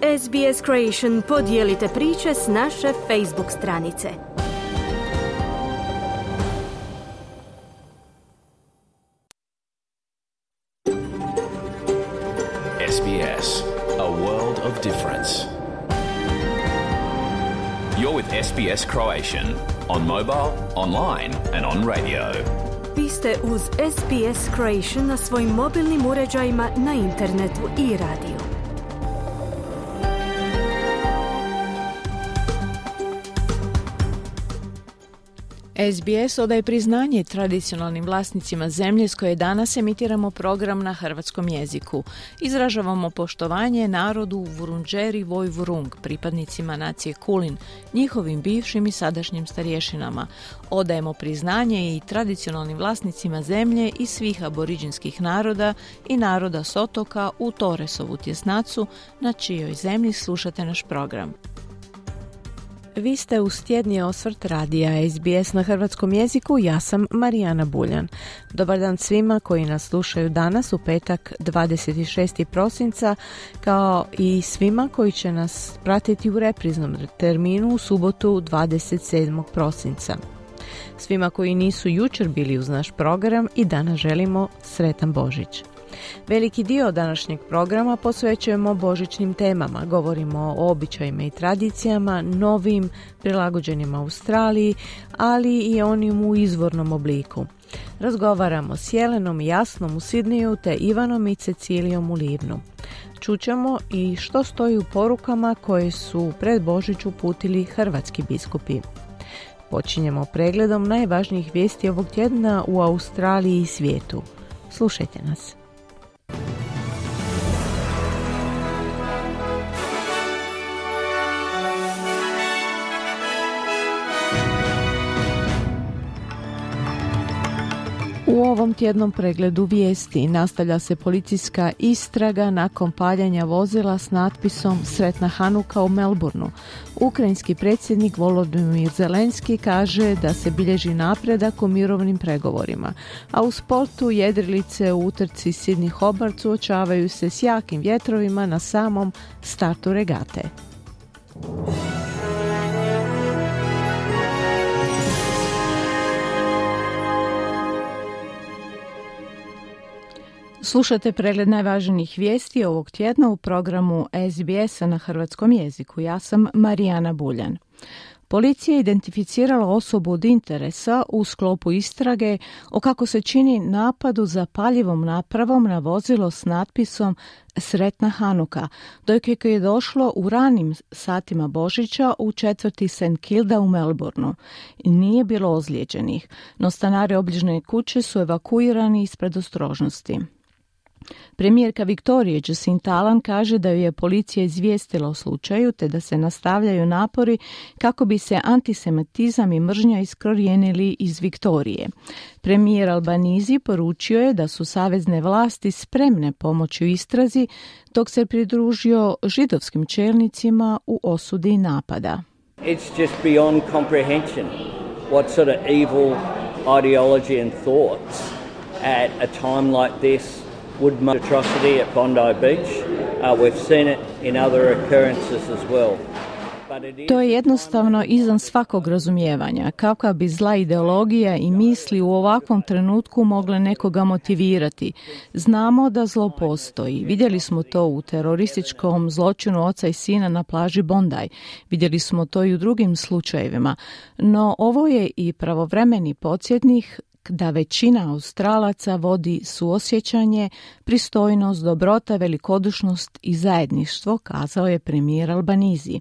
SBS Creation podijelite priče s naše Facebook stranice. SBS, a world of difference. You're with SBS Croatian on mobile, online and on radio. Vi ste uz SBS Creation na svojim mobilnim uređajima, na internetu i radiju. SBS odaje priznanje tradicionalnim vlasnicima zemlje s koje danas emitiramo program na hrvatskom jeziku. Izražavamo poštovanje narodu Vurundjeri Woi-wurrung, pripadnicima nacije Kulin, njihovim bivšim i sadašnjim starješinama. Odajemo priznanje i tradicionalnim vlasnicima zemlje i svih aboriđinskih naroda i naroda s otoka u Torresovu tjesnacu, na čijoj zemlji slušate naš program. Vi ste uz tjedni osvrt radija SBS na hrvatskom jeziku, ja sam Marijana Buljan. Dobar dan svima koji nas slušaju danas u petak 26. prosinca, kao i svima koji će nas pratiti u repriznom terminu u subotu 27. prosinca. Svima koji nisu jučer bili uz naš program i danas želimo sretan Božić. Veliki dio današnjeg programa posvećujemo božićnim temama. Govorimo o običajima i tradicijama, novim, prilagođenim Australiji, ali i onim u izvornom obliku. Razgovaramo s Jelenom i Jasnom u Sidniju te Ivanom i Cecilijom u Livnu. Čućemo i što stoji u porukama koje su pred Božić uputili hrvatski biskupi. Počinjemo pregledom najvažnijih vijesti ovog tjedna u Australiji i svijetu. Slušajte nas. U ovom tjednom pregledu vijesti nastavlja se policijska istraga nakon paljanja vozila s natpisom Sretna Hanuka u Melbourneu. Ukrajinski predsjednik Volodymyr Zelenski kaže da se bilježi napredak u mirovnim pregovorima, a u sportu jedrilice u utrci Sydney Hobart suočavaju se s jakim vjetrovima na samom startu regate. Slušate pregled najvažnijih vijesti ovog tjedna u programu SBS-a na hrvatskom jeziku. Ja sam Marijana Buljan. Policija je identificirala osobu od interesa u sklopu istrage o, kako se čini, napadu zapaljivom napravom na vozilo s natpisom Sretna Hanuka, dok je došlo u ranim satima Božića u četvrti St. Kilda u Melbourneu. Nije bilo ozlijeđenih, no stanari obližnje kuće su evakuirani iz predostrožnosti. Premijerka Viktorije Jacinta Allan kaže da ju je policija izvijestila o slučaju te da se nastavljaju napori kako bi se antisemitizam i mržnja iskorijenili iz Viktorije. Premijer Albanese poručio je da su savezne vlasti spremne pomoći u istrazi, dok se pridružio židovskim čelnicima u osudi napada. It's just beyond comprehension what sort of evil ideology and thoughts at a time like this would make atrocity at Bondi Beach. We've seen it in other occurrences as well. To je jednostavno izvan svakog razumijevanja. Kakva bi zla ideologija i misli u ovakvom trenutku mogle nekoga motivirati? Znamo da zlo postoji. Vidjeli smo to u terorističkom zločinu oca i sina na plaži Bondi. Vidjeli smo to i u drugim slučajevima. No ovo je i pravovremeni podsjetnik da većina Australaca vodi suosjećanje, pristojnost, dobrota, velikodušnost i zajedništvo, kazao je premijer Albanese.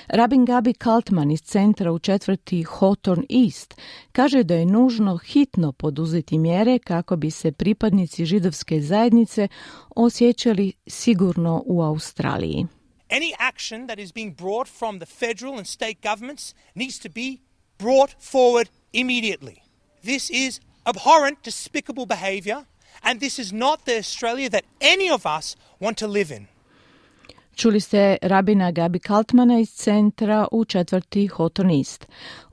Rabin Gabi Kaltman iz centra u četvrti Hawthorne East kaže da je nužno hitno poduzeti mjere kako bi se pripadnici židovske zajednice osjećali sigurno u Australiji. Any action that is being brought from the federal and state governments needs to be brought forward immediately. This is abhorrent, despicable behavior, and this is not the Australia that any of us want to live in. Čuli ste rabina Gabi Kaltmana iz centra u četvrti Houghton East.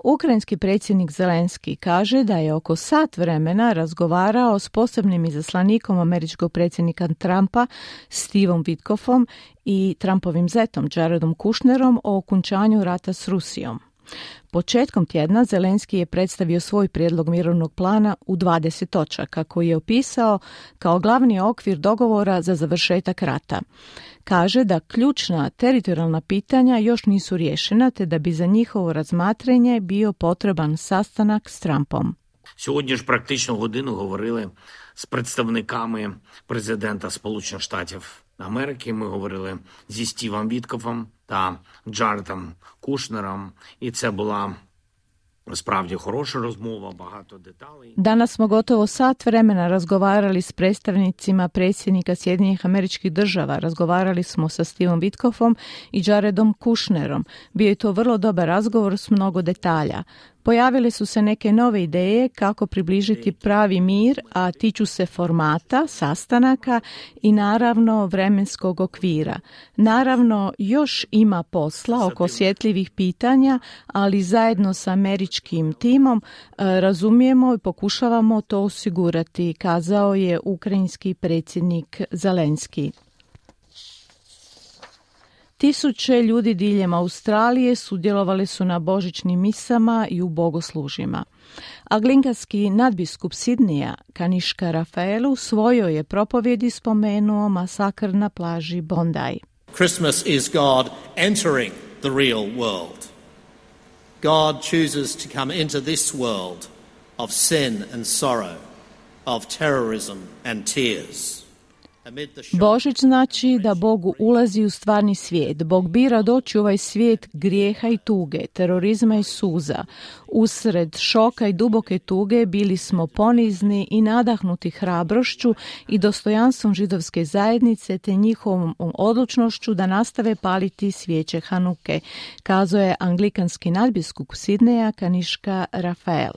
Ukrajinski predsjednik Zelenski kaže da je oko sat vremena razgovarao s posebnim izaslanikom američkog predsjednika Trumpa, Stevom Witkoffom i Trumpovim zetom Jaredom Kushnerom o okončanju rata s Rusijom. Početkom tjedna Zelenski je predstavio svoj prijedlog mirovnog plana u 20 točaka koji je opisao kao glavni okvir dogovora za završetak rata. Kaže da ključna teritorijalna pitanja još nisu riješena te da bi za njihovo razmatranje bio potreban sastanak s Trumpom. Сьогодні ж практично годину говорили з представниками президента Сполучених Штатів Америки. Ми говорили зі Стівом Віткофом та Джаредом Кушнером, і це була spravdje хороша розмова, багато деталей. Danas smo gotovo sat vremena razgovarali s predstavnicima predsjednika Sjedinjenih Američkih Država. Razgovarali smo sa Stevom Witkoffom i Jaredom Kushnerom. Bio je to vrlo dobar razgovor s mnogo detalja. Pojavile su se neke nove ideje kako približiti pravi mir, a tiču se formata, sastanaka i naravno vremenskog okvira. Naravno, još ima posla oko osjetljivih pitanja, ali zajedno sa američkim timom razumijemo i pokušavamo to osigurati, kazao je ukrajinski predsjednik Zelenski. Tisuće ljudi diljem Australije sudjelovali su na božićnim misama i u bogoslužjima. Anglikanski nadbiskup Sidneja, Kaniška Rafael, u svojoj je propovjedi spomenuo masakr na plaži Bondi. Christmas is God entering the real world. God chooses to come into this world of sin and sorrow, of terrorism and tears. Božić znači da Bog ulazi u stvarni svijet. Bog bira doći u ovaj svijet grijeha i tuge, terorizma i suza. Usred šoka i duboke tuge bili smo ponizni i nadahnuti hrabrošću i dostojanstvom židovske zajednice te njihovom odlučnošću da nastave paliti svijeće Hanuke, kazao je anglikanski nadbiskup Sidneja Kaniška Rafael.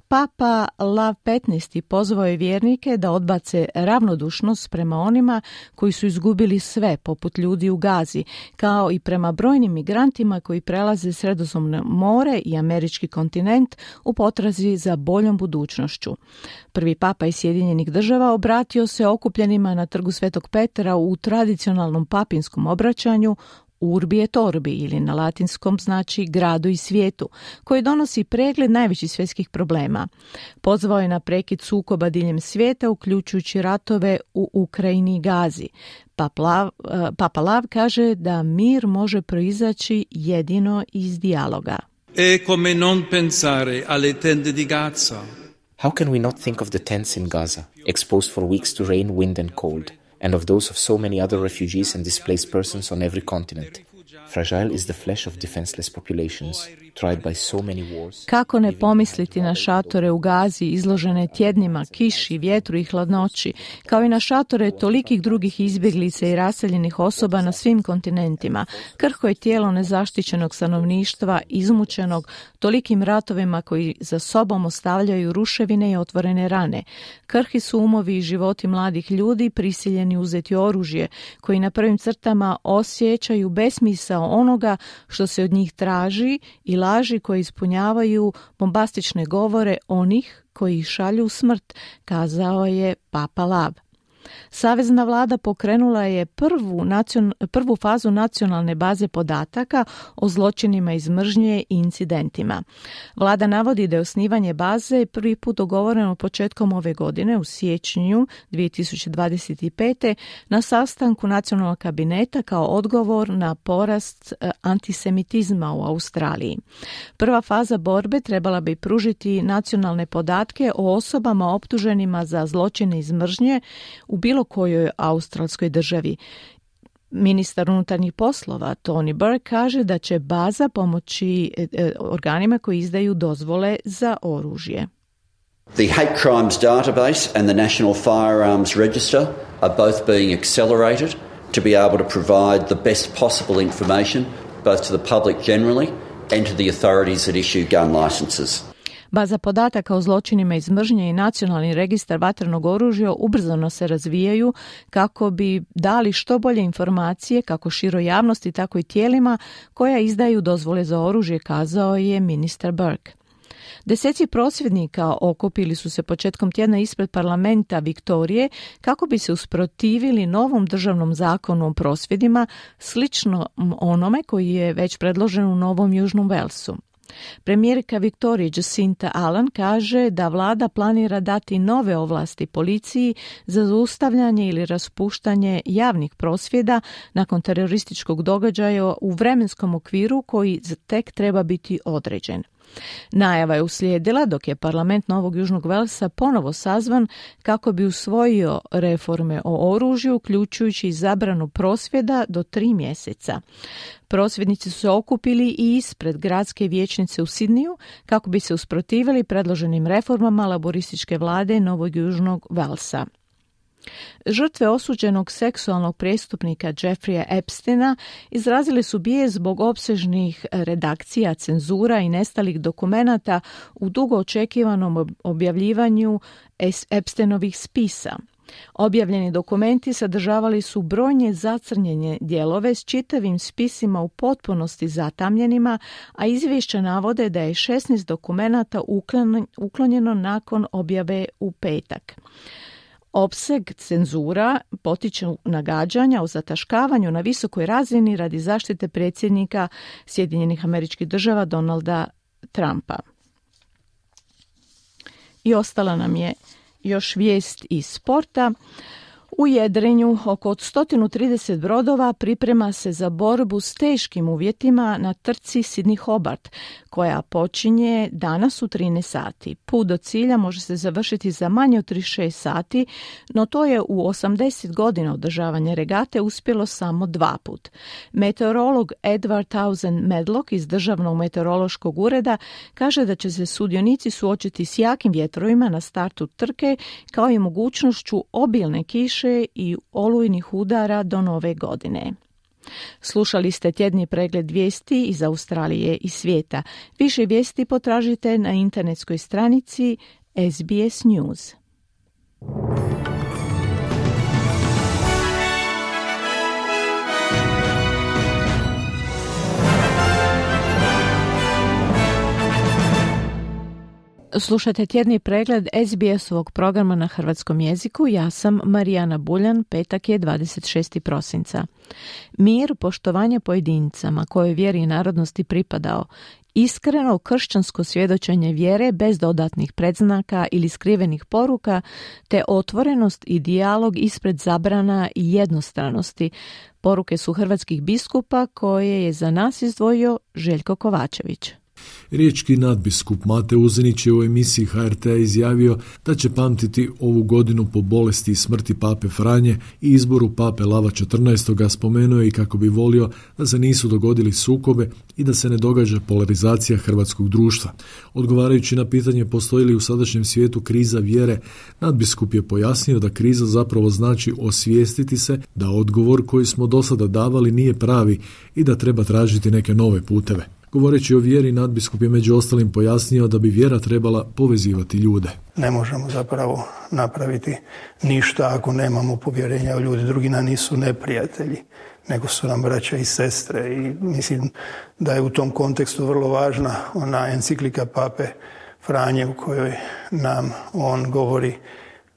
Papa Lav XV pozvao je vjernike da odbace ravnodušnost prema onima koji su izgubili sve, poput ljudi u Gazi, kao i prema brojnim migrantima koji prelaze Sredozemno more i američki kontinent u potrazi za boljom budućnošću. Prvi papa iz Sjedinjenih Država obratio se okupljenima na trgu Svetog Petra u tradicionalnom papinskom obraćanju Urbi et Orbi, ili na latinskom znači gradu i svijetu, koji donosi pregled najvećih svjetskih problema. Pozvao je na prekid sukoba diljem svijeta, uključujući ratove u Ukrajini i Gazi. Papa Lav kaže da mir može proizaći jedino iz dijaloga. E come non pensare alle tende di Gaza? How can we not think of the tents in Gaza, exposed for weeks to rain, wind and cold? And of those of so many other refugees and displaced persons on every continent. Fragile is the flesh of defenseless populations, tried by so many wars. Kako ne pomisliti na šatore u Gazi izložene tjednima, kiši, vjetru i hladnoći, kao i na šatore tolikih drugih izbjeglica i raseljenih osoba na svim kontinentima. Krhko je tijelo nezaštićenog stanovništva, izmučenog tolikim ratovima koji za sobom ostavljaju ruševine i otvorene rane. Krhki su umovi i životi mladih ljudi prisiljeni uzeti oružje, koji na prvim crtama osjećaju besmisao onoga što se od njih traži i laži koje ispunjavaju bombastične govore onih koji ih šalju u smrt, kazao je Papa Lav. Savezna vlada pokrenula je prvu fazu nacionalne baze podataka o zločinima iz mržnje i incidentima. Vlada navodi da je osnivanje baze prvi put dogovoreno početkom ove godine u siječnju 2025. na sastanku nacionalnog kabineta kao odgovor na porast antisemitizma u Australiji. Prva faza borbe trebala bi pružiti nacionalne podatke o osobama optuženima za zločine iz mržnje u bilo kojoj australskoj državi. Ministar unutarnjih poslova Tony Burke kaže da će baza pomoći organima koji izdaju dozvole za oružje. The Hate Crimes Database and the National Firearms Register are both being accelerated to be able to provide the best possible information both to the public generally and to the authorities that issue gun licenses. Baza podataka o zločinima iz mržnje i nacionalni registar vatrenog oružja ubrzano se razvijaju kako bi dali što bolje informacije kako široj javnosti, tako i tijelima koja izdaju dozvole za oružje, kazao je ministar Burke. Deseci prosvjednika okupili su se početkom tjedna ispred parlamenta Viktorije kako bi se usprotivili novom državnom zakonu o prosvjedima, slično onome koji je već predložen u Novom Južnom Velsu. Premijerka Viktorije Jacinta Allen kaže da vlada planira dati nove ovlasti policiji za zaustavljanje ili raspuštanje javnih prosvjeda nakon terorističkog događaja u vremenskom okviru koji tek treba biti određen. Najava je uslijedila dok je parlament Novog Južnog Velsa ponovo sazvan kako bi usvojio reforme o oružju, uključujući i zabranu prosvjeda do 3 mjeseca. Prosvjednici su se okupili i ispred gradske vijećnice u Sidniju kako bi se usprotivili predloženim reformama laborističke vlade Novog Južnog Velsa. Žrtve osuđenog seksualnog prijestupnika Jeffreya Epsteina izrazili su bijes zbog opsežnih redakcija, cenzura i nestalih dokumenata u dugo očekivanom objavljivanju Epsteinovih spisa. Objavljeni dokumenti sadržavali su brojne zacrnjene dijelove s čitavim spisima u potpunosti zatamljenima, a izvješća navode da je 16 dokumenata uklonjeno nakon objave u petak. Opseg cenzura potiče nagađanja o zataškavanju na visokoj razini radi zaštite predsjednika Sjedinjenih Američkih Država Donalda Trumpa. I ostala nam je još vijest iz sporta. U jedrenju oko 130 brodova priprema se za borbu s teškim uvjetima na trci Sydney Hobart, koja počinje danas u 13 sati. Put do cilja može se završiti za manje od 36 sati, no to je u 80 godina održavanja regate uspjelo samo 2 put. Meteorolog Edward Townsend Medlock iz Državnog meteorološkog ureda kaže da će se sudionici suočiti s jakim vjetrovima na startu trke, kao i mogućnošću obilne kiše i olujnih udara do nove godine. Slušali ste tjedni pregled vijesti iz Australije i svijeta. Više vijesti potražite na internetskoj stranici SBS News. Slušajte tjedni pregled SBS-ovog programa na hrvatskom jeziku. Ja sam Marijana Buljan, petak je 26. prosinca. Mir, poštovanje pojedincama kojoj vjeri i narodnosti pripadao, iskreno kršćansko svjedočenje vjere bez dodatnih predznaka ili skrivenih poruka, te otvorenost i dijalog ispred zabrana i jednostranosti. Poruke su hrvatskih biskupa koje je za nas izdvojio Željko Kovačević. Riječki nadbiskup Mate Uzinić je u emisiji HRT-a izjavio da će pamtiti ovu godinu po bolesti i smrti pape Franje i izboru pape Lava XIV. Spomenuo je i kako bi volio da se nisu dogodili sukobe i da se ne događa polarizacija hrvatskog društva. Odgovarajući na pitanje postoji li u sadašnjem svijetu kriza vjere, nadbiskup je pojasnio da kriza zapravo znači osvijestiti se da odgovor koji smo do sada davali nije pravi i da treba tražiti neke nove puteve. Govoreći o vjeri, nadbiskup je među ostalim pojasnio da bi vjera trebala povezivati ljude. Ne možemo zapravo napraviti ništa ako nemamo povjerenja u ljudi. Drugi nam nisu neprijatelji, nego su nam braća i sestre. I mislim da je u tom kontekstu vrlo važna ona enciklika pape Franje u kojoj nam on govori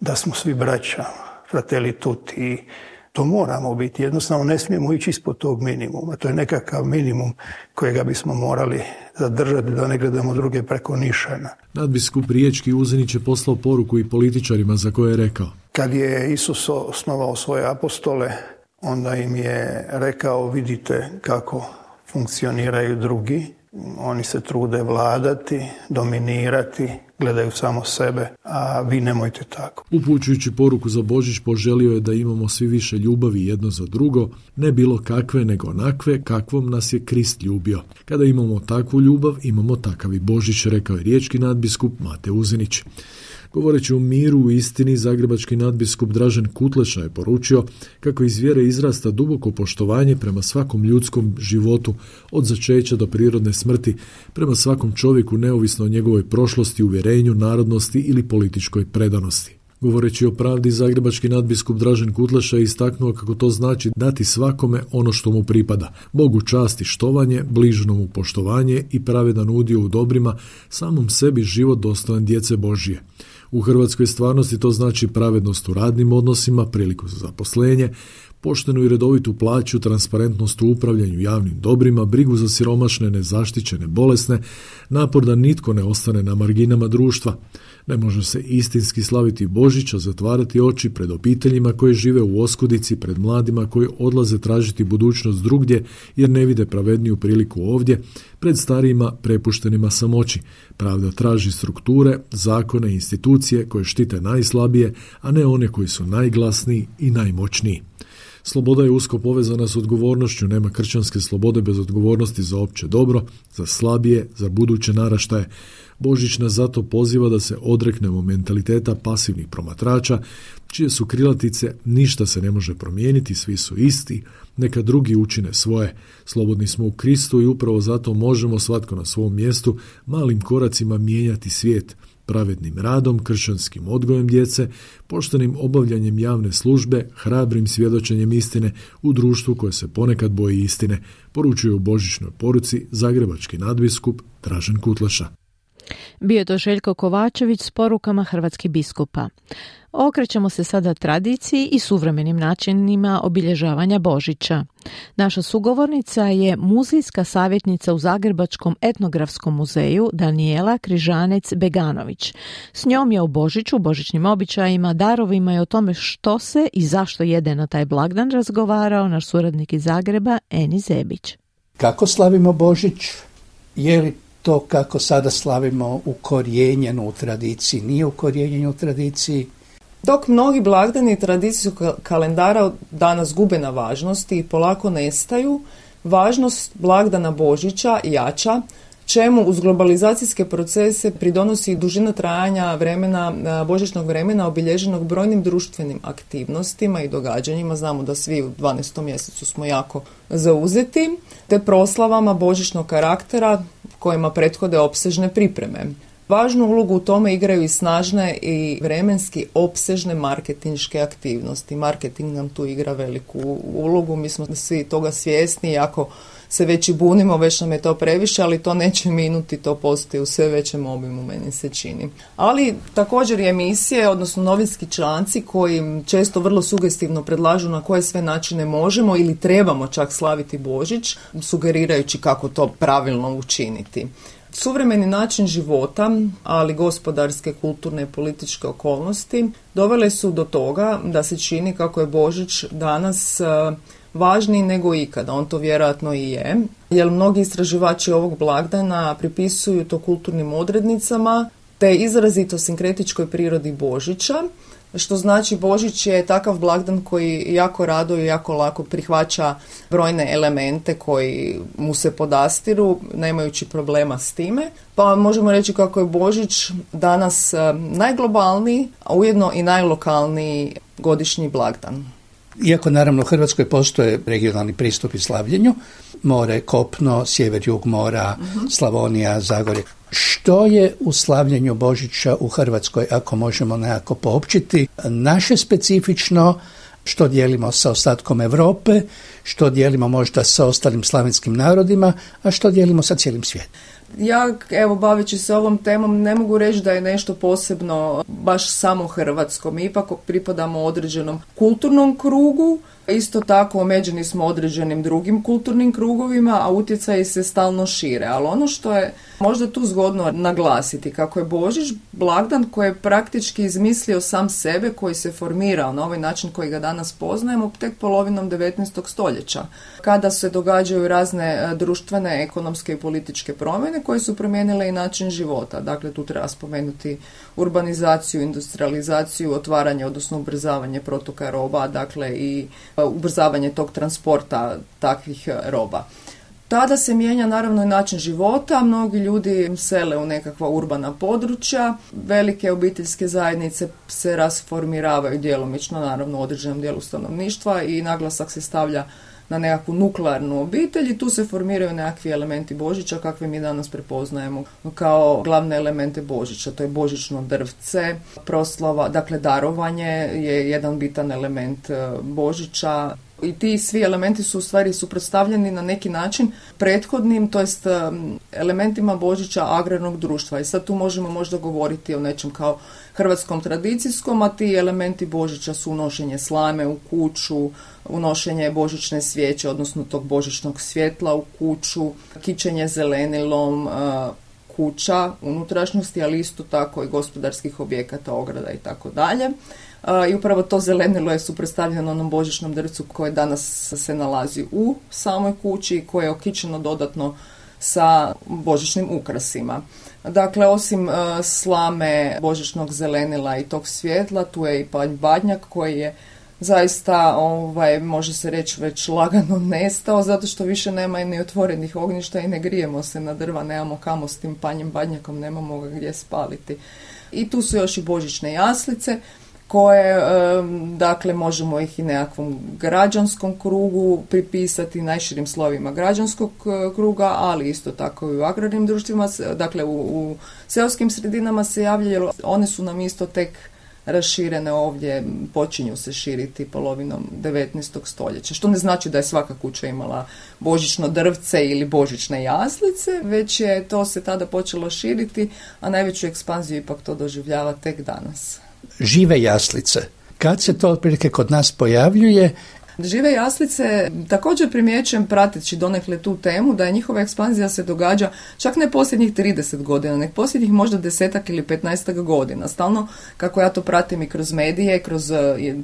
da smo svi braća, fratelli tutti. To moramo biti, jednostavno ne smijemo ići ispod tog minimuma. To je nekakav minimum kojega bismo morali zadržati da ne gledamo druge preko nišana. Nadbiskup Riječki Uzinić je poslao poruku i političarima za koje je rekao: kad je Isus osnovao svoje apostole, onda im je rekao: vidite kako funkcioniraju drugi, oni se trude vladati, dominirati, gledaju samo sebe, a vi nemojte tako. Upućujući poruku za Božić, poželio je da imamo svi više ljubavi jedno za drugo, ne bilo kakve nego onakve kakvom nas je Krist ljubio. Kada imamo takvu ljubav, imamo takav i Božić, rekao je riječki nadbiskup Mate Uzinić. Govoreći o miru u istini, zagrebački nadbiskup Dražen Kutleša je poručio kako iz vjere izrasta duboko poštovanje prema svakom ljudskom životu, od začeća do prirodne smrti, prema svakom čovjeku neovisno o njegovoj prošlosti, uvjerenju, narodnosti ili političkoj predanosti. Govoreći o pravdi, zagrebački nadbiskup Dražen Kutleša je istaknuo kako to znači dati svakome ono što mu pripada. Bogu čast i štovanje, bližnjomu poštovanje i pravedan udio u dobrima, samom sebi život dostojan djece Božje. U hrvatskoj stvarnosti to znači pravednost u radnim odnosima, priliku za zaposlenje, poštenu i redovitu plaću, transparentnost u upravljanju javnim dobrima, brigu za siromašne, nezaštićene, bolesne, napor da nitko ne ostane na marginama društva. Ne može se istinski slaviti Božić, a zatvarati oči pred obiteljima koje žive u oskudici, pred mladima koji odlaze tražiti budućnost drugdje jer ne vide pravedniju priliku ovdje, pred starijima prepuštenima samoći. Pravda traži strukture, zakone i institucije koje štite najslabije, a ne one koji su najglasniji i najmoćniji. Sloboda je usko povezana s odgovornošću, nema kršćanske slobode bez odgovornosti za opće dobro, za slabije, za buduće naraštaje. Božić nas zato poziva da se odreknemo mentaliteta pasivnih promatrača, čije su krilatice ništa se ne može promijeniti, svi su isti, neka drugi učine svoje. Slobodni smo u Kristu i upravo zato možemo svatko na svom mjestu malim koracima mijenjati svijet, pravednim radom, kršćanskim odgojem djece, poštenim obavljanjem javne službe, hrabrim svjedočenjem istine u društvu koje se ponekad boji istine, poručuje u božićnoj poruci zagrebački nadbiskup Dražen Kutleša. Bio je to Željko Kovačević s porukama hrvatskih biskupa. Okrećemo se sada tradiciji i suvremenim načinima obilježavanja Božića. Naša sugovornica je muzejska savjetnica u Zagrebačkom etnografskom muzeju Danijela Križanec-Beganović. S njom je o Božiću, božićnim običajima, darovima i o tome što se i zašto jede na taj blagdan razgovarao naš suradnik iz Zagreba Eni Zebić. Kako slavimo Božić? Je li to kako sada slavimo ukorijenjeno u tradiciji, nije ukorijenjeno u tradiciji? Dok mnogi blagdani tradicijskog kalendara danas gube na važnosti i polako nestaju, važnost blagdana Božića jača, čemu uz globalizacijske procese pridonosi dužina trajanja božićnog vremena obilježenog brojnim društvenim aktivnostima i događanjima. Znamo da svi u 12. mjesecu smo jako zauzeti, te proslavama božićnog karaktera kojima prethode opsežne pripreme. Važnu ulogu u tome igraju i snažne i vremenski opsežne marketinške aktivnosti. Marketing nam tu igra veliku ulogu, mi smo svi toga svjesni, iako se već i bunimo, već nam je to previše, ali to neće minuti, to postoji u sve većem obimu, meni se čini. Ali također i emisije, odnosno novinski članci koji često vrlo sugestivno predlažu na koje sve načine možemo ili trebamo čak slaviti Božić, sugerirajući kako to pravilno učiniti. Suvremeni način života, ali gospodarske, kulturne i političke okolnosti dovele su do toga da se čini kako je Božić danas važniji nego ikada. On to vjerojatno i je, jer mnogi istraživači ovog blagdana pripisuju to kulturnim odrednicama te izrazito sinkretičkoj prirodi Božića, što znači Božić je takav blagdan koji jako rado i jako lako prihvaća brojne elemente koji mu se podastiru, nemajući problema s time. Pa možemo reći kako je Božić danas najglobalniji, a ujedno i najlokalniji godišnji blagdan. Iako naravno u Hrvatskoj postoje regionalni pristupi slavljenju, more, kopno, sjever, jug mora, Slavonija, Zagorje. Što je u slavljenju Božića u Hrvatskoj, ako možemo nekako poopćiti, naše specifično, što dijelimo sa ostatkom Europe, što dijelimo možda sa ostalim slavenskim narodima, a što dijelimo sa cijelim svijetom? Ja, evo, baveći se ovom temom, ne mogu reći da je nešto posebno baš samo hrvatsko. Mi ipak pripadamo određenom kulturnom krugu, isto tako omeđeni smo određenim drugim kulturnim krugovima, a utjecaji se stalno šire. Ali ono što je možda tu zgodno naglasiti, kako je Božić blagdan koji je praktički izmislio sam sebe, koji se formirao na ovaj način koji ga danas poznajemo tek polovinom 19. stoljeća, kada se događaju razne društvene, ekonomske i političke promjene koje su promijenile i način života. Dakle, tu treba spomenuti urbanizaciju, industrializaciju, otvaranje, odnosno ubrzavanje protoka roba, dakle i ubrzavanje tog transporta takvih roba. Tada se mijenja naravno i način života, mnogi ljudi sele u nekakva urbana područja, velike obiteljske zajednice se rasformiravaju djelomično, naravno u određenom dijelu stanovništva i naglasak se stavlja na nekakvu nuklearnu obitelj i tu se formiraju nekakvi elementi Božića kakve mi danas prepoznajemo kao glavne elemente Božića. To je božićno drvce, proslava, dakle darovanje je jedan bitan element Božića. I ti svi elementi su u stvari suprotstavljeni na neki način prethodnim, to jest elementima Božića agrarnog društva. I sad tu možemo možda govoriti o nečem kao hrvatskom tradicijskom, a ti elementi Božića su unošenje slame u kuću, unošenje božićne svijeće, odnosno tog božićnog svjetla u kuću, kićenje zelenilom, kuća, unutrašnjosti, ali isto tako i gospodarskih objekata, ograda i tako dalje. I upravo to zelenilo je suprotstavljeno onom božićnom drvcu koje danas se nalazi u samoj kući i koje je okićeno dodatno sa božićnim ukrasima. Dakle, osim slame, božićnog zelenila i tog svjetla, tu je i panj badnjak koji je zaista, može se reći, već lagano nestao, zato što više nema i ni otvorenih ognjišta i ne grijemo se na drva, nemamo kamo s tim panjem badnjakom, nemamo ga gdje spaliti. I tu su još i božićne jaslice, koje, dakle, možemo ih i nekakvom građanskom krugu pripisati, najširim slovima građanskog kruga, ali isto tako i u agrarnim društvima, dakle u seoskim sredinama se javljaju, one su nam isto tek raširene ovdje, počinju se širiti polovinom 19. stoljeća, što ne znači da je svaka kuća imala božićno drvce ili božićne jaslice, već je to se tada počelo širiti, a najveću ekspanziju ipak to doživljava tek danas. Žive jaslice. Kad se to otprilike kod nas pojavljuje? Žive jaslice također primjećujem, prateći donekle tu temu, da je njihova ekspanzija se događa čak ne posljednjih 30 godina, nek posljednjih možda 10 ili 15 godina. Stalno, kako ja to pratim i kroz medije,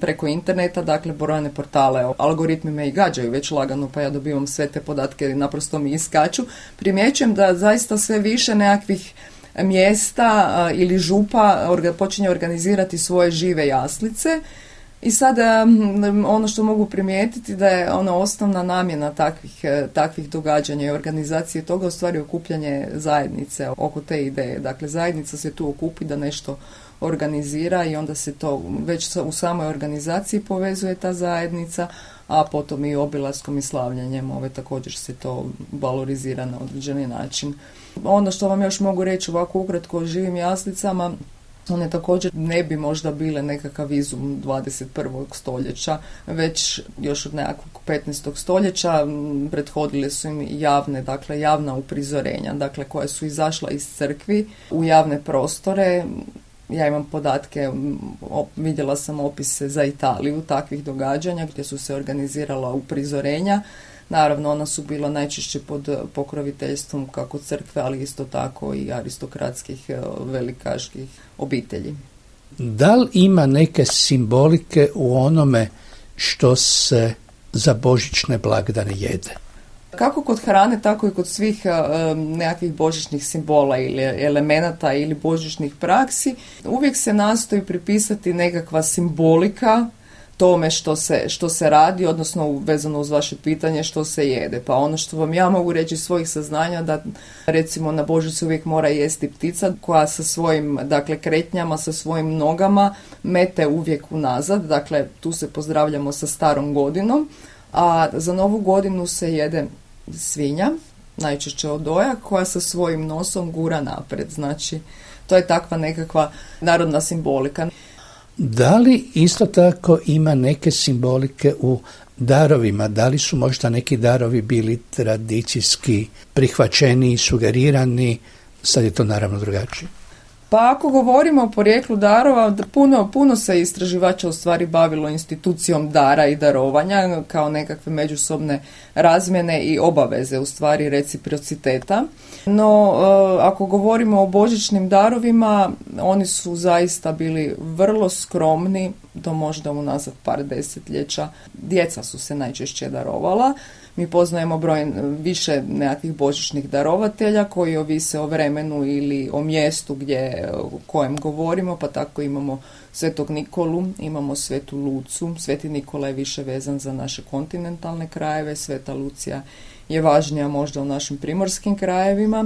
preko interneta, dakle brojne portale, algoritmi me i gađaju već lagano, pa ja dobivam sve te podatke i naprosto mi iskaču. Primjećujem da zaista sve više nekakvih mjesta ili župa počinje organizirati svoje žive jaslice. I sada ono što mogu primijetiti da je ona osnovna namjena takvih događanja i organizacije toga u stvari okupljanje zajednice oko te ideje. Dakle, zajednica se tu okupi da nešto organizira i onda se to već u samoj organizaciji povezuje ta zajednica, a potom i obilaskom i slavljanjem također se to valorizira na određeni način. Ono što vam još mogu reći ovako ukratko o živim jaslicama, one također ne bi možda bile nekakav izum 21. stoljeća, već još od nekakvog 15. stoljeća prethodile su im javna uprizorenja, dakle koja su izašla iz crkvi u javne prostore. Ja imam podatke, vidjela sam opise za Italiju takvih događanja gdje su se organizirala uprizorenja. Naravno, ona su bila najčešće pod pokroviteljstvom kako crkve, ali isto tako i aristokratskih velikaških obitelji. Da li ima neke simbolike u onome što se za božićne blagdane jede? Kako kod hrane, tako i kod svih nekakvih božićnih simbola ili elemenata ili božićnih praksi, uvijek se nastoji pripisati nekakva simbolika tome što se radi, odnosno vezano uz vaše pitanje što se jede. Pa ono što vam ja mogu reći iz svojih saznanja, da recimo na Božić se uvijek mora jesti ptica koja sa svojim kretnjama, sa svojim nogama mete uvijek unazad. Dakle, tu se pozdravljamo sa starom godinom, a za novu godinu se jede svinja, najčešće odoja, koja sa svojim nosom gura napred. Znači, to je takva nekakva narodna simbolika. Da li isto tako ima neke simbolike u darovima? Da li su možda neki darovi bili tradicijski prihvaćeni i sugerirani? Sad je to naravno drugačije. Pa ako govorimo o porijeklu darova, puno se istraživača u stvari bavilo institucijom dara i darovanja kao nekakve međusobne razmjene i obaveze, u stvari reciprociteta. No, ako govorimo o božićnim darovima, oni su zaista bili vrlo skromni, do možda unazad par desetljeća. Djeca su se najčešće darovala. Mi poznajemo više nekakvih božićnih darovatelja koji ovise o vremenu ili o mjestu o kojem govorimo, pa tako imamo Svetog Nikolu, imamo Svetu Lucu. Sveti Nikola je više vezan za naše kontinentalne krajeve, Sveta Lucija je važnija možda u našim primorskim krajevima.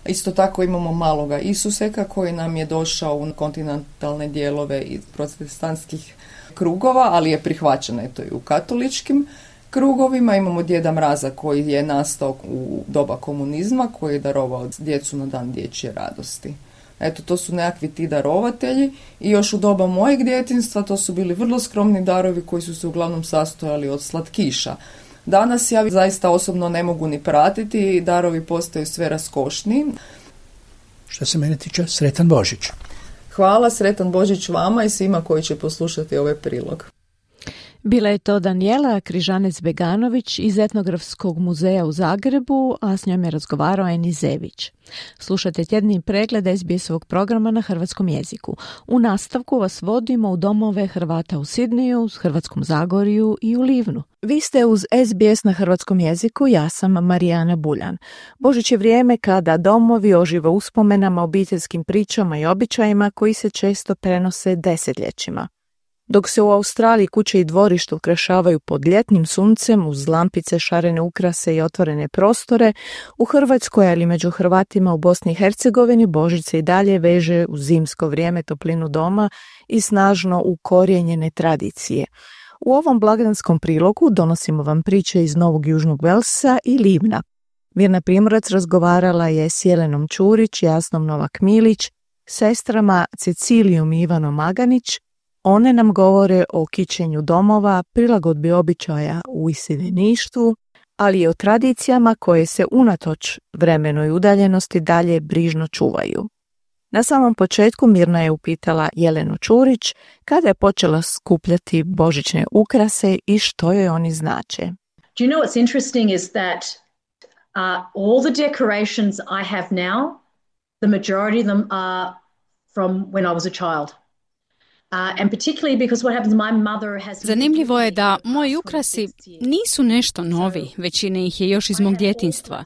Isto tako imamo maloga Isuseka koji nam je došao u kontinentalne dijelove iz protestantskih krugova, ali je prihvaćen eto i u katoličkim krugovima. Imamo Djeda Mraza koji je nastao u doba komunizma, koji je darovao djecu na dan dječje radosti. Eto, to su nekakvi ti darovatelji i još u doba mojeg djetinjstva to su bili vrlo skromni darovi koji su se uglavnom sastojali od slatkiša. Danas ja zaista osobno ne mogu ni pratiti, darovi postaju sve raskošniji. Što se mene tiče, sretan Božić. Hvala, sretan Božić vama i svima koji će poslušati ovaj prilog. Bila je to Danijela Križanec-Beganović iz Etnografskog muzeja u Zagrebu, a s njom je razgovarao Eni Zević. Slušate tjedni pregled SBS-ovog programa na hrvatskom jeziku. U nastavku vas vodimo u domove Hrvata u Sidneju, Hrvatskom Zagorju i u Livnu. Vi ste uz SBS na hrvatskom jeziku, ja sam Marijana Buljan. Božić je vrijeme kada domovi ožive uspomenama, obiteljskim pričama i običajima koji se često prenose desetljećima. Dok se u Australiji kuće i dvorišta ukrašavaju pod ljetnim suncem uz lampice, šarene ukrase i otvorene prostore, u Hrvatskoj, ali među Hrvatima u Bosni i Hercegovini, Božić se i dalje veže u zimsko vrijeme, toplinu doma i snažno ukorijenjene tradicije. U ovom blagdanskom prilogu donosimo vam priče iz Novog Južnog Velsa i Livna. Mirna Primorac razgovarala je s Jelenom Čurić, Jasnom Novak Milić, sestrama Cecilijom i Ivanom Maganić. One nam govore o kićenju domova, prilagodbi običaja u iseljeništvu, ali i o tradicijama koje se unatoč vremenoj udaljenosti dalje brižno čuvaju. Na samom početku Mirna je upitala Jelenu Čurić kada je počela skupljati božićne ukrase i što joj oni znače. Do you know what's interesting is that all the decorations I have now, the majority of them are from when I was a child. Zanimljivo je da moji ukrasi nisu nešto novi, većina ih je još iz mog djetinjstva.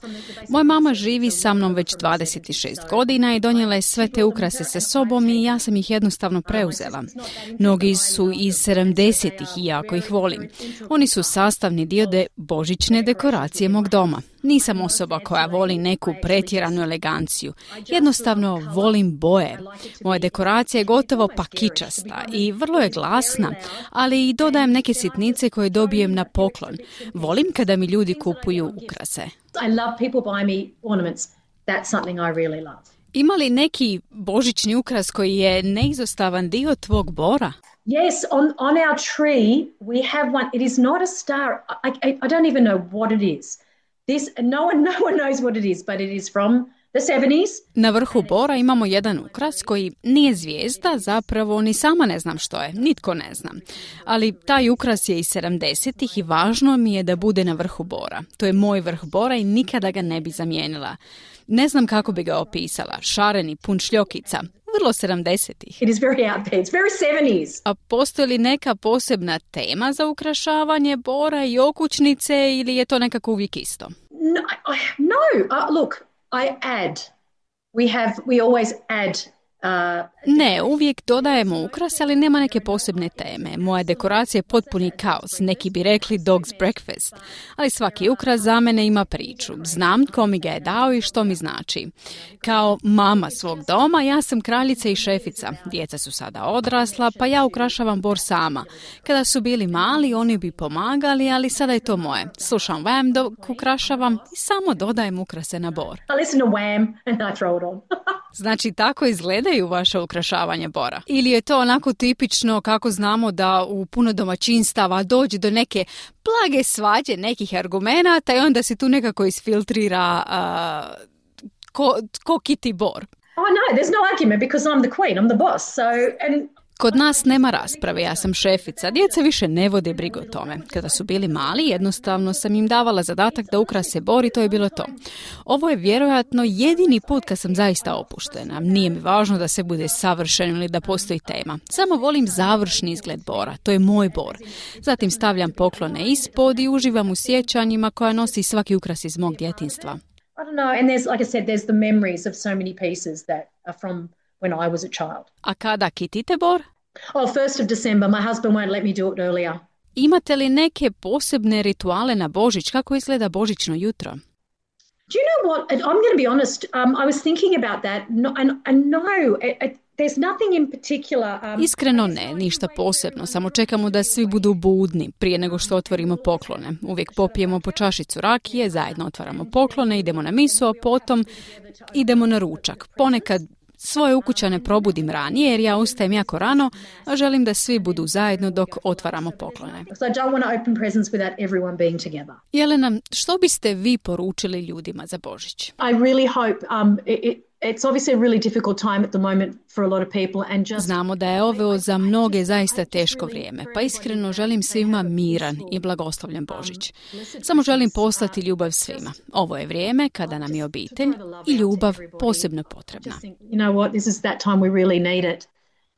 Moja mama živi sa mnom već 26 godina i donijela je sve te ukrase sa sobom i ja sam ih jednostavno preuzela. Mnogi su iz 70-ih i jako ih volim. Oni su sastavni dio božićne dekoracije mog doma. Nisam osoba koja voli neku pretjeranu eleganciju. Jednostavno volim boje. Moja dekoracija je gotovo pa kičasta i vrlo je glasna, ali i dodajem neke sitnice koje dobijem na poklon. Volim kada mi ljudi kupuju ukrase. Ima li neki božićni ukras koji je neizostavan dio tvog bora? Yes, on our tree we have one. It is not a star. I don't even know what it is. No one knows what it is, but it is from the 70s. Na vrhu bora imamo jedan ukras koji nije zvijezda, zapravo ni sama ne znam što je, nitko ne zna. Ali taj ukras je iz 70-ih i važno mi je da bude na vrhu bora. To je moj vrh bora i nikada ga ne bi zamijenila. Ne znam kako bi ga opisala, šareni, pun šljokica. Vrlo 70-ih. It is very out there. It's very 70s. A postoji li neka posebna tema za ukrašavanje bora i okućnice ili je to nekako uvijek isto? No. Look, I add. We always add. Ne, uvijek dodajemo ukras, ali nema neke posebne teme. Moja dekoracija je potpuni kaos, neki bi rekli dog's breakfast. Ali svaki ukras za mene ima priču. Znam ko mi ga je dao i što mi znači. Kao mama svog doma, ja sam kraljica i šefica. Djeca su sada odrasla, pa ja ukrašavam bor sama. Kada su bili mali, oni bi pomagali, ali sada je to moje. Slušam Wham dok ukrašavam i samo dodajem ukrase na bor. I listen to Wham and I throw it on. Znači, tako izgledaju vaše ukrašavanje bora? Ili je to onako tipično kako znamo da u puno domaćinstava dođe do neke blage svađe, nekih argumenata i onda se tu nekako isfiltrira ko kiti bor? Oh no, there's no argument because I'm the queen, I'm the boss. Kod nas nema rasprave, ja sam šefica. Djeca više ne vode brigu o tome. Kada su bili mali, jednostavno sam im davala zadatak da ukrase bor i to je bilo to. Ovo je vjerojatno jedini put kad sam zaista opuštena. Nije mi važno da se bude savršen ili da postoji tema. Samo volim završni izgled bora. To je moj bor. Zatim stavljam poklone ispod i uživam u sjećanjima koja nosi svaki ukras iz mog djetinjstva. I don't know, and there's, like I said, there's the memories of so many pieces that are from when I was a child. A kada kitite bor? Oh, 1st of December. My husband won't let me do it earlier. Imate li neke posebne rituale na Božić? Kako izgleda božićno jutro? Do you know what? I'm going to be honest. I was thinking about that, and no, there's nothing in particular. Iskreno ne, ništa posebno. Samo čekamo da svi budu budni prije nego što otvorimo poklone. Uvijek popijemo po čašicu rakije, zajedno otvaramo poklone, idemo na misu, a potom idemo na ručak. Ponekad svoje ukućane probudim ranije jer ja ustajem jako rano, a želim da svi budu zajedno dok otvaramo poklone. Jelena, što biste vi poručili ljudima za Božić? I really hope it's obviously a really difficult time at the moment for a lot of people and just... Znamo da je ovo za mnoge zaista teško vrijeme, pa iskreno želim svima miran i blagoslovljen Božić. Samo želim poslati ljubav svima. Ovo je vrijeme kada nam je obitelj i ljubav posebno potrebna. You know what, this is that time we really need it.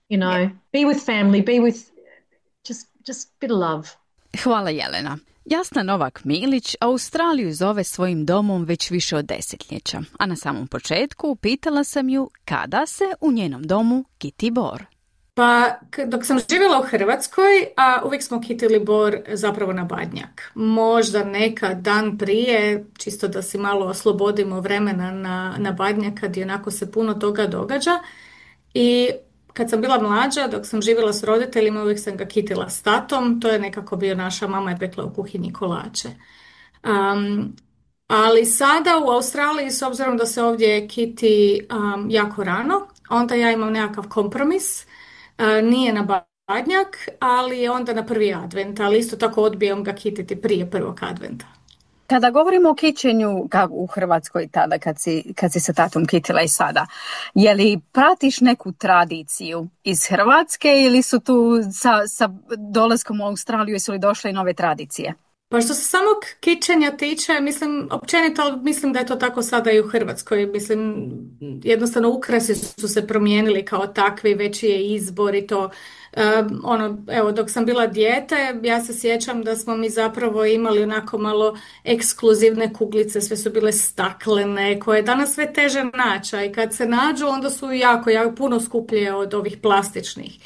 You know, be with family, be with just bit of love. Hvala Jelena. Jasna Novak-Milić Australiju zove svojim domom već više od desetljeća, a na samom početku pitala sam ju kada se u njenom domu kiti bor. Pa dok sam živjela u Hrvatskoj, uvijek smo kitili bor zapravo na Badnjak. Možda nekad dan prije, čisto da si malo oslobodimo vremena na Badnjak kad i onako se puno toga događa. I kad sam bila mlađa, dok sam živjela s roditeljima, uvijek sam ga kitila s tatom. To je nekako bio, naša mama je pekla u kuhinji kolače. Ali sada u Australiji, s obzirom da se ovdje kiti jako rano, onda ja imam nekakav kompromis. Nije na Badnjak, ali je onda na prvi advent, ali isto tako odbijam ga kititi prije prvog adventa. Kada govorimo o kićenju u Hrvatskoj tada kad si sa tatom kitila i sada, je li pratiš neku tradiciju iz Hrvatske ili su tu sa dolaskom u Australiju su li došle i nove tradicije? Pa što se samog kićenja tiče, općenito mislim da je to tako sada i u Hrvatskoj. Mislim, jednostavno ukrasi su se promijenili kao takvi, veći je izbor i to. Evo, dok sam bila dijete, ja se sjećam da smo mi zapravo imali onako malo ekskluzivne kuglice, sve su bile staklene, koje je danas sve teže naći, i kad se nađu onda su jako puno skuplje od ovih plastičnih.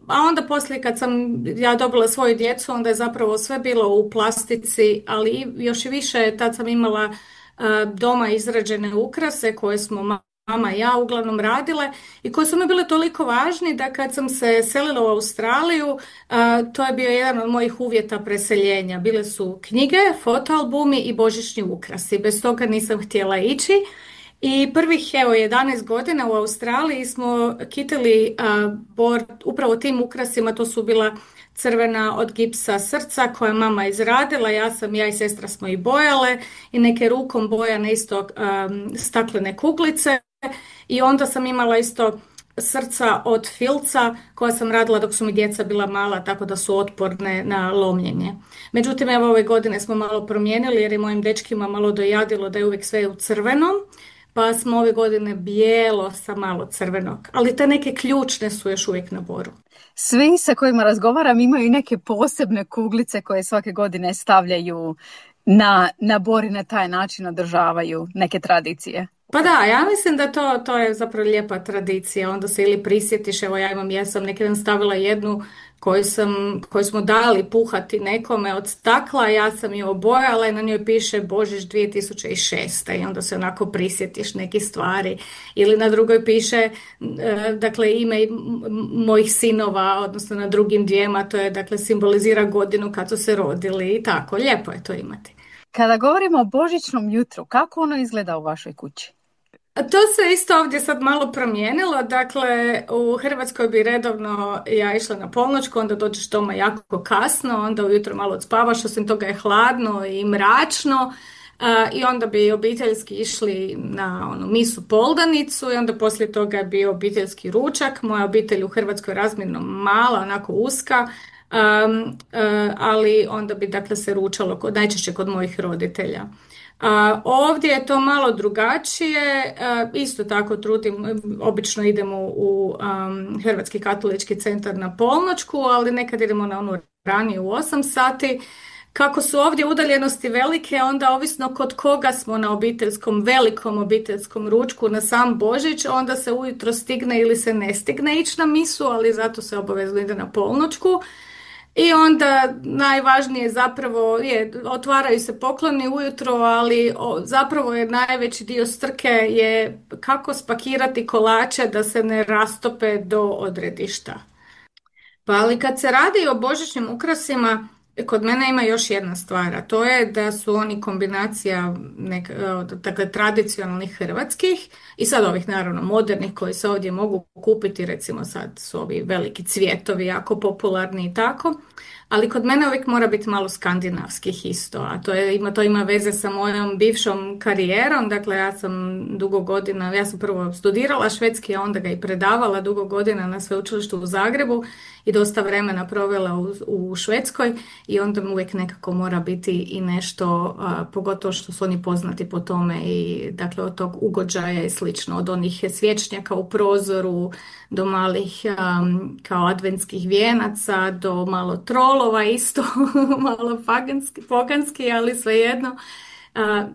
A onda poslije kad sam ja dobila svoju djecu, onda je zapravo sve bilo u plastici, ali još i više tad sam imala doma izrađene ukrase koje smo mama i ja uglavnom radile i koji su mi bile toliko važni da kad sam se selila u Australiju, to je bio jedan od mojih uvjeta preseljenja. Bile su knjige, fotoalbumi i božićni ukrasi. Bez toga nisam htjela ići. I prvih 11 godina u Australiji smo kitili bor upravo tim ukrasima. To su bila crvena od gipsa srca koje mama izradila, ja i sestra smo ih bojale i neke rukom bojane isto staklene kuglice, i onda sam imala isto srca od filca koja sam radila dok su mi djeca bila mala, tako da su otporne na lomljenje. Međutim, ove godine smo malo promijenili jer je mojim dečkima malo dojadilo da je uvijek sve u crvenom, pa smo ove godine bijelo sa malo crvenog, ali te neke ključne su još uvijek na boru. Svi sa kojima razgovaram imaju neke posebne kuglice koje svake godine stavljaju na bor i na taj način održavaju neke tradicije. Pa da, ja mislim da to je zapravo lijepa tradicija. Onda se ili prisjetiš, ja sam neki dan stavila jednu koju smo dali puhati nekome od stakla, ja sam ju obojala i na njoj piše Božić 2006. I onda se onako prisjetiš nekih stvari. Ili na drugoj piše ime mojih sinova, odnosno na drugim dvijema, to je simbolizira godinu kad su se rodili i tako. Lijepo je to imati. Kada govorimo o božićnom jutru, kako ono izgleda u vašoj kući? To se isto ovdje sad malo promijenilo, u Hrvatskoj bi redovno ja išla na polnoćku, onda dođeš doma jako kasno, onda ujutro malo odspavaš, osim toga je hladno i mračno, i onda bi obiteljski išli na misu poldanicu i onda poslije toga je bio obiteljski ručak. Moja obitelj u Hrvatskoj je razmjerno mala, onako uska, ali onda bi se ručalo najčešće kod mojih roditelja. Ovdje je to malo drugačije, isto tako obično idemo u Hrvatski katolički centar na polnoćku, ali nekad idemo na onu ranije u 8 sati. Kako su ovdje udaljenosti velike, onda ovisno kod koga smo na velikom obiteljskom ručku na sam Božić, onda se ujutro stigne ili se ne stigne ići na misu, ali zato se obavezno ide na polnoćku. I onda najvažnije zapravo je, otvaraju se pokloni ujutro, ali zapravo je najveći dio strke je kako spakirati kolače da se ne rastope do odredišta. Pa ali kad se radi o božićnim ukrasima, kod mene ima još jedna stvar, a to je da su oni kombinacija dakle, tradicionalnih hrvatskih i sad ovih naravno modernih koji se ovdje mogu kupiti, recimo sad su ovi veliki cvjetovi jako popularni i tako, ali kod mene uvijek mora biti malo skandinavskih isto, a to ima veze sa mojom bivšom karijerom, dakle ja sam prvo studirala švedski, a onda ga i predavala dugo godina na sveučilištu u Zagrebu i dosta vremena provela u Švedskoj i onda uvijek nekako mora biti i nešto, pogotovo što su oni poznati po tome i dakle od tog ugođaja i slično, od onih svječnjaka u prozoru do malih kao adventskih vijenaca, do malo trolova isto, malo poganski, ali svejedno.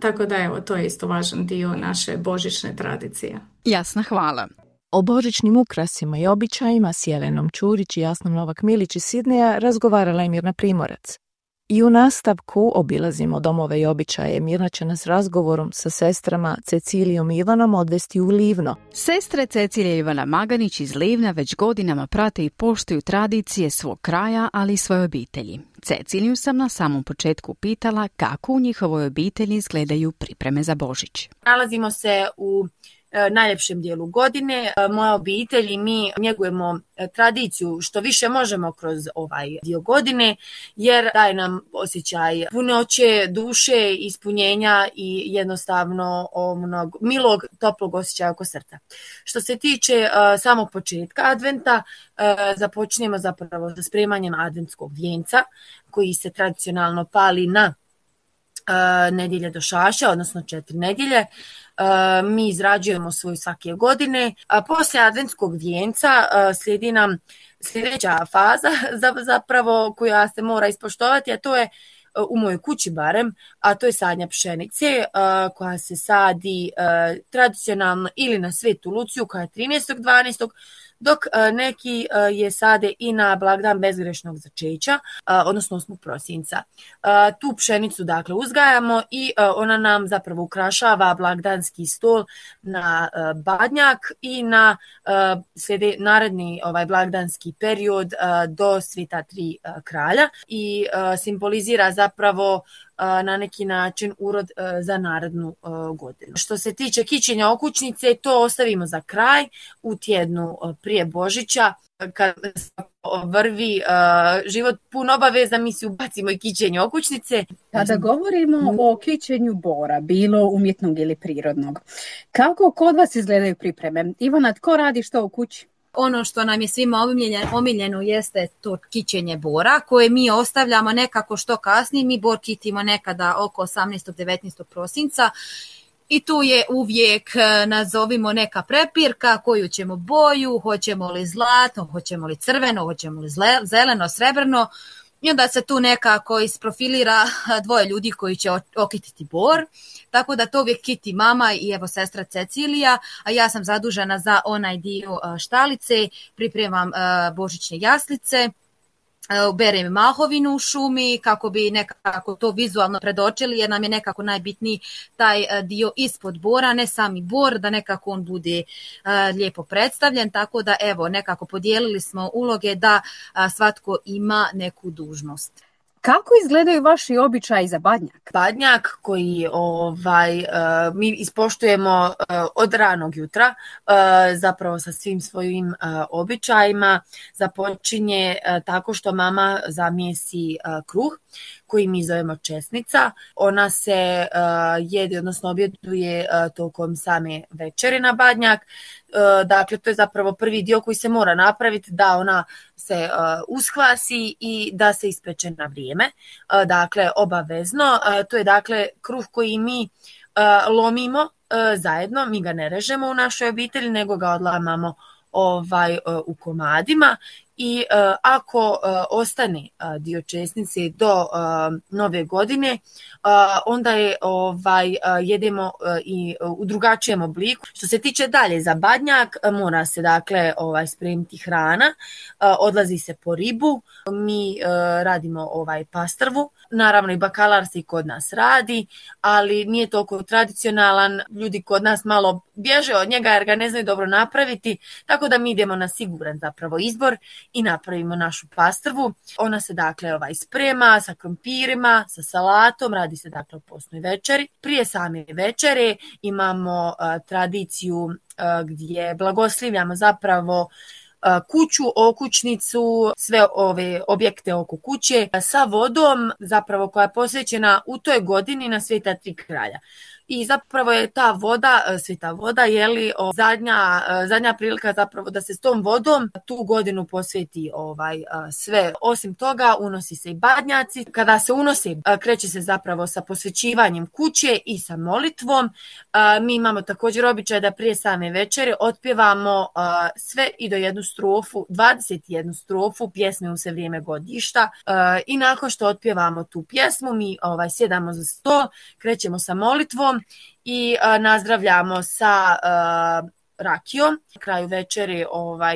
Tako da evo, to je isto važan dio naše božićne tradicije. Jasna, hvala. O božićnim ukrasima i običajima s Jelenom Čurić i Jasnom Novak-Milić iz Sidneja razgovarala je Mirna Primorac. I u nastavku obilazimo domove i običaje. Mirna će nas razgovorom sa sestrama Cecilijom i Ivanom odvesti u Livno. Sestre Cecilija i Ivana Maganić iz Livna već godinama prate i poštuju tradicije svog kraja, ali i svoje obitelji. Ceciliju sam na samom početku pitala kako u njihovoj obitelji izgledaju pripreme za Božić. Nalazimo se u najljepšem dijelu godine. Moja obitelj i mi njegujemo tradiciju što više možemo kroz ovaj dio godine, jer daje nam osjećaj punoće duše, ispunjenja i jednostavno onog milog, toplog osjećaja oko srca. Što se tiče samog početka adventa, započnemo zapravo sa spremanjem adventskog vijenca koji se tradicionalno pali na nedjelje do šaša, odnosno 4 nedjelje. Mi izrađujemo svoju svake godine, a poslije adventskog vijenca slijedi nam sljedeća faza zapravo koja se mora ispoštovati, a to je u mojoj kući barem, a to je sadnja pšenice koja se sadi tradicionalno ili na Svetu Luciju koja je 13.12., dok neki je sade i na blagdan bezgrešnog začeća, odnosno 8. prosinca. Tu pšenicu dakle uzgajamo i ona nam zapravo ukrašava blagdanski stol na Badnjak i na naredni blagdanski period do Sveta 3 kralja i simbolizira zapravo na neki način urod za narednu godinu. Što se tiče kićenja okućnice, to ostavimo za kraj u tjednu prije Božića. Kad vrvi život pun obaveza, mi si ubacimo i kićenje okućnice. Kada govorimo o kićenju bora, bilo umjetnog ili prirodnog, kako kod vas izgledaju pripreme? Ivana, tko radi što u kući? Ono što nam je svima omiljeno jeste to kićenje bora koje mi ostavljamo nekako što kasnije. Mi bor kitimo nekada oko 18. 19. prosinca i tu je uvijek, nazovimo, neka prepirka koju ćemo boju, hoćemo li zlatno, hoćemo li crveno, hoćemo li zeleno, srebrno. I onda se tu nekako isprofilira 2 ljudi koji će okititi bor. Tako da to uvijek kiti mama i evo sestra Cecilija, a ja sam zadužena za onaj dio štalice, pripremam božićne jaslice, berem mahovinu u šumi kako bi nekako to vizualno predočili, jer nam je nekako najbitniji taj dio ispod bora, ne sami bor, da nekako on bude lijepo predstavljen, tako da evo nekako podijelili smo uloge da svatko ima neku dužnost. Kako izgledaju vaši običaji za Badnjak? Badnjak koji mi ispoštujemo od ranog jutra, zapravo sa svim svojim običajima, započinje tako što mama zamijesi kruh koji mi zovemo česnica. Ona se jede, odnosno objeduje tokom same večere na Badnjak. Dakle, to je zapravo prvi dio koji se mora napraviti da ona se uskvasi i da se ispeče na vrijeme. Dakle, obavezno. To je dakle kruh koji mi lomimo zajedno, mi ga ne režemo u našoj obitelji, nego ga odlamamo u komadima i ako ostane dio česnice do nove godine, onda je jedemo i u drugačijem obliku. Što se tiče dalje za badnjak, mora se dakle spremiti hrana, odlazi se po ribu, mi radimo pastrvu, naravno i bakalar se i kod nas radi, ali nije toliko tradicionalan, ljudi kod nas malo bježe od njega jer ga ne znaju dobro napraviti, tako da mi idemo na siguran zapravo izbor i napravimo našu pastrvu. Ona se dakle sprema sa krompirima, sa salatom, radi se dakle o postnoj večeri. Prije same večere imamo tradiciju gdje blagoslivljamo zapravo kuću, okućnicu, sve ove objekte oko kuće sa vodom zapravo koja je posvećena u toj godini na Sveta Tri kralja. I zapravo je ta voda, sveta voda, zadnja prilika zapravo da se s tom vodom tu godinu posveti sve. Osim toga, unosi se i badnjaci. Kada se unosi, kreće se zapravo sa posvećivanjem kuće i sa molitvom. Mi imamo također običaj da prije same večere otpjevamo sve i do jednu strofu, 21 strofu pjesme U se vrijeme godišta. I nakon što otpjevamo tu pjesmu, mi sjedamo za sto, krećemo sa molitvom i nazdravljamo sa rakijom. Na kraju večeri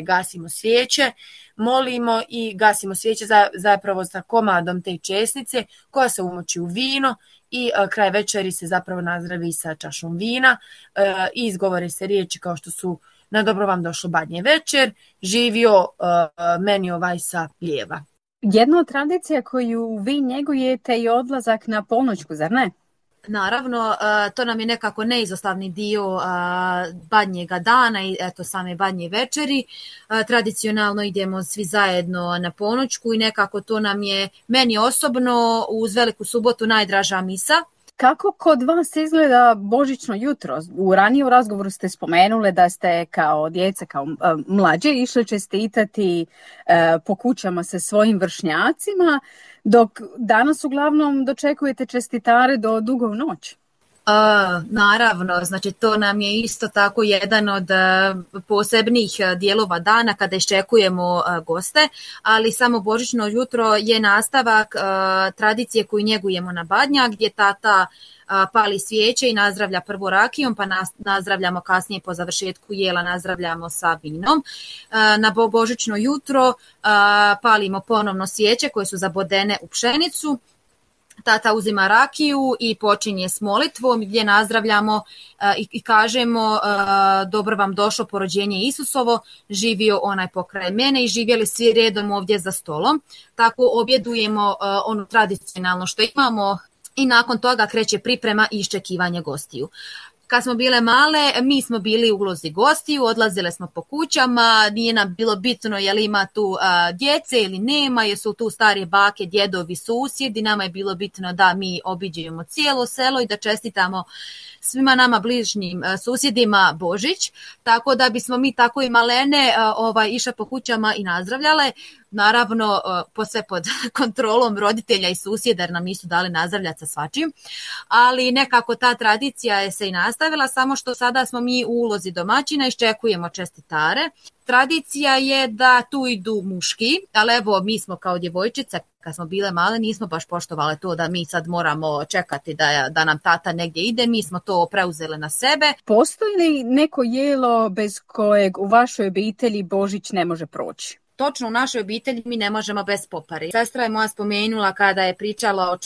gasimo svijeće, molimo i gasimo svijeće zapravo sa komadom te česnice koja se umoči u vino i kraj večeri se zapravo nazdravi sa čašom vina i izgovore se riječi kao što su: na dobro vam došlo badnje večer, živio meni sa lijeva. Jedna od tradicija koju vi njegujete je odlazak na polnoćku, zar ne? Naravno, to nam je nekako neizostavni dio badnjega dana i same badnje večeri. Tradicionalno idemo svi zajedno na ponoćku i nekako to nam je meni osobno uz Veliku subotu najdraža misa. Kako kod vas izgleda božićno jutro? U ranijem razgovoru ste spomenuli da ste kao djeca, kao mlađe išli čestitati po kućama sa svojim vršnjacima, dok danas uglavnom dočekujete čestitare do dugo u noć. Naravno, znači to nam je isto tako jedan od posebnih dijelova dana kada iščekujemo goste, ali samo božićno jutro je nastavak tradicije koju njegujemo na badnjak, gdje tata pali svijeće i nazdravlja prvo rakijom, pa nazdravljamo kasnije po završetku jela, nazdravljamo sa vinom. Na božićno jutro palimo ponovno svijeće koje su zabodene u pšenicu. Tata uzima rakiju i počinje s molitvom gdje nazdravljamo i kažemo: dobro vam došlo porođenje Isusovo, živio onaj pokraj mene i živjeli svi redom ovdje za stolom. Tako objedujemo ono tradicionalno što imamo i nakon toga kreće priprema i iščekivanje gostiju. Kad smo bile male, mi smo bili u ulozi gostiju, odlazile smo po kućama, nije nam bilo bitno je li ima tu djece ili nema, jesu tu starije bake, djedovi, susjedi, nama je bilo bitno da mi obiđemo cijelo selo i da čestitamo svima nama bližnjim susjedima Božić, tako da bismo mi tako i malene išle po kućama i nazdravljale. Naravno, sve pod kontrolom roditelja i susjeda jer nam nisu dali nazdravljati sa svačim, ali nekako ta tradicija je se i nastavila, samo što sada smo mi u ulozi domaćina i iščekujemo čestitare. Tradicija je da tu idu muški, ali evo mi smo kao djevojčice kad smo bile male nismo baš poštovale to da mi sad moramo čekati da nam tata negdje ide, mi smo to preuzele na sebe. Postoji li neko jelo bez kojeg u vašoj obitelji Božić ne može proći? Točno, u našoj obitelji mi ne možemo bez popari. Sestra je moja spomenula kada je pričala o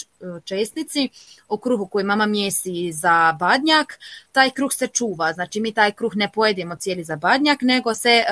česnici, o kruhu koji mama mjesi za badnjak. Taj kruh se čuva, znači mi taj kruh ne pojedemo cijeli za badnjak, nego se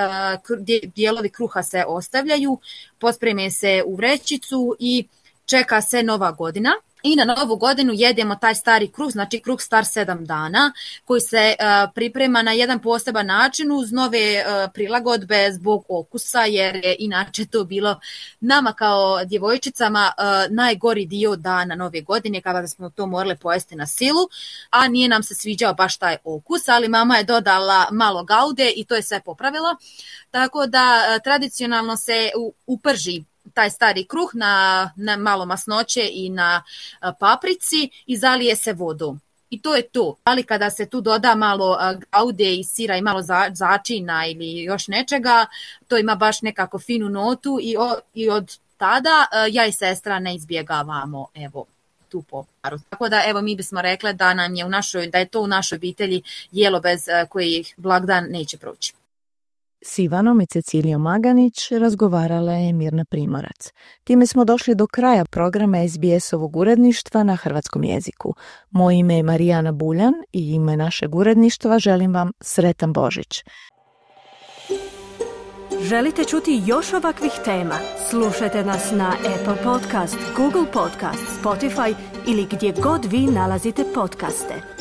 dijelovi kruha se ostavljaju, pospreme se u vrećicu i čeka se Nova godina. I na Novu godinu jedemo taj stari kruh, znači kruh star 7 dana, koji se priprema na jedan poseban način uz nove prilagodbe zbog okusa, jer je inače to bilo nama kao djevojčicama najgori dio dana Nove godine, kada smo to morali pojesti na silu, a nije nam se sviđao baš taj okus, ali mama je dodala malo gaude i to je sve popravilo. Tako da tradicionalno se uprži taj stari kruh na malo masnoće i na paprici i zalije se vodom. i to je to. Ali kada se tu doda malo gaude i sira i malo začina ili još nečega, to ima baš nekako finu notu i od tada ja i sestra ne izbjegavamo tu poparu. Tako da mi bismo rekle da da je to u našoj obitelji jelo bez kojih blagdan neće proći. S Ivanom i Cecilijom Maganić razgovarala je Mirna Primorac. Time smo došli do kraja programa SBS-ovog uredništva na hrvatskom jeziku. Moje ime je Marijana Buljan i ime našeg uredništva želim vam sretan Božić. Želite čuti još ovakvih tema? Slušajte nas na Apple Podcast, Google Podcast, Spotify ili gdje god vi nalazite podcaste.